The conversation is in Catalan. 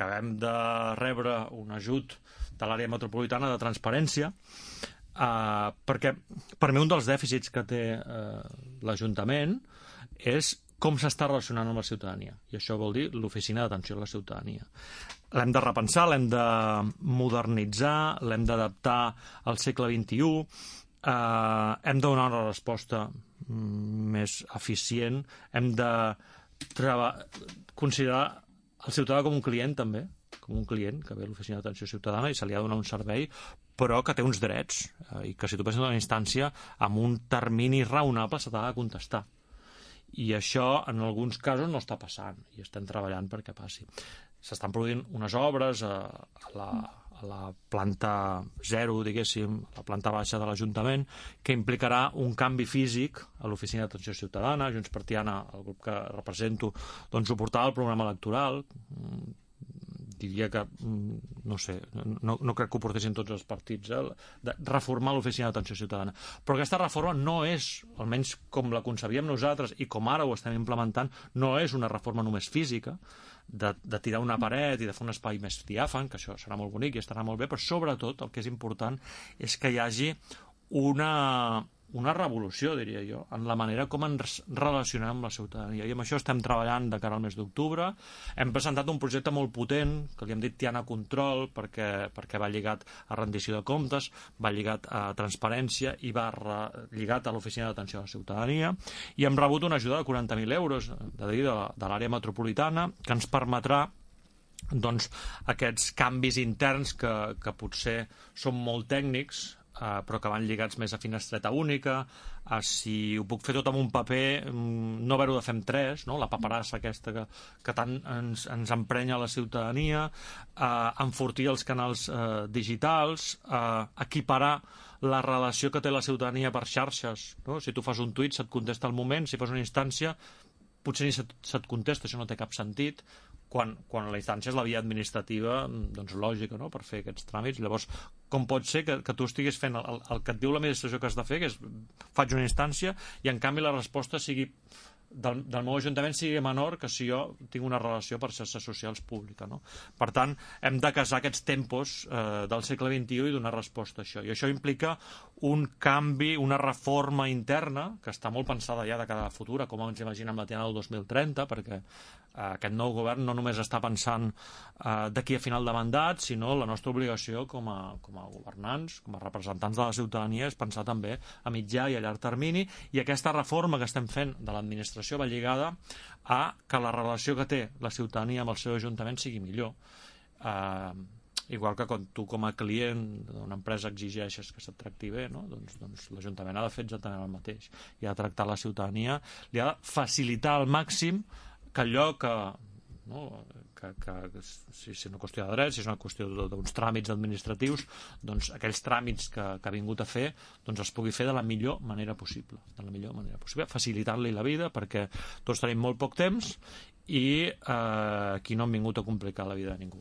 acabem de rebre un ajut de l'àrea metropolitana de transparència, perquè per mi un dels dèficits que té l'Ajuntament és com s'està relacionant amb la ciutadania, i això vol dir l'oficina d'atenció a la ciutadania. L'hem de repensar, l'hem de modernitzar, l'hem d'adaptar al segle XXI, hem de donar una resposta més eficient, hem de considerar el ciutadà com un client també, com un client que ve a l'oficina d'atenció ciutadana i se li ha de donar un servei, però que té uns drets, i que si tu passes a una instància amb un termini raonable se t'ha de contestar. I això en alguns casos no està passant i estem treballant perquè passi. S'estan produint unes obres a la planta 0, diguéssim, a la planta baixa de l'Ajuntament, que implicarà un canvi físic a l'oficina d'atenció ciutadana. Junts per Tiana, el grup que represento, doncs suportava el programa electoral. Diria que, no sé, no crec que ho portessin tots els partits, de reformar l'oficina d'atenció ciutadana. Però aquesta reforma no és, almenys com la concebíem nosaltres i com ara ho estem implementant, no és una reforma només física, de tirar una paret i de fer un espai més diàfan, que això serà molt bonic i estarà molt bé, però sobretot el que és important és que hi hagi una revolució, diria jo, en la manera com ens relacionem amb la ciutadania. I amb això estem treballant de cara al mes d'octubre. Hem presentat un projecte molt potent, que li hem dit Tiana Control, perquè va lligat a rendició de comptes, va lligat a transparència i va lligat a l'oficina d'atenció a la ciutadania. I hem rebut una ajuda de 40.000 euros de l'àrea metropolitana, que ens permetrà doncs, aquests canvis interns que potser són molt tècnics, però que van lligats més a finestreta única, si ho puc fer tot amb un paper, no haver-ho de fer amb 3, no? La paperassa aquesta que tant ens emprenya la ciutadania, enfortir els canals digitals, equiparar la relació que té la ciutadania per xarxes, no? Si tu fas un tuit se't contesta al moment, si fas una instància potser ni se't contesta, això no té cap sentit, quan la instància és la via administrativa, doncs lògica, no?, per fer aquests tràmits. Llavors, com pot ser que tu estiguis fent el que et diu l'administració que has de fer, que és faig una instància, i en canvi la resposta sigui del meu ajuntament sigui menor que si jo tinc una relació per xarxes socials pública, no? Per tant, hem de casar aquests tempos del segle XXI i donar resposta a això. I això implica un canvi, una reforma interna, que està molt pensada ja de cara a la futura, com ens imaginem la Tiana del 2030, perquè aquest nou govern no només està pensant d'aquí a final de mandat, sinó la nostra obligació com a governants, com a representants de la ciutadania, és pensar també a mitjà i a llarg termini, i aquesta reforma que estem fent de l'administració va lligada a que la relació que té la ciutadania amb el seu ajuntament sigui millor. Igual que quan tu com a client d'una empresa exigeixes que se't tracti bé, no? doncs l'Ajuntament ha de fer exactament el mateix. I ha de tractar la ciutadania, li ha de facilitar al màxim que allò que si és una qüestió de drets, si és una qüestió d'uns tràmits administratius, doncs aquells tràmits que ha vingut a fer doncs es pugui fer de la millor manera possible, facilitant-li la vida, perquè tots tenim molt poc temps i aquí no hem vingut a complicar la vida de ningú.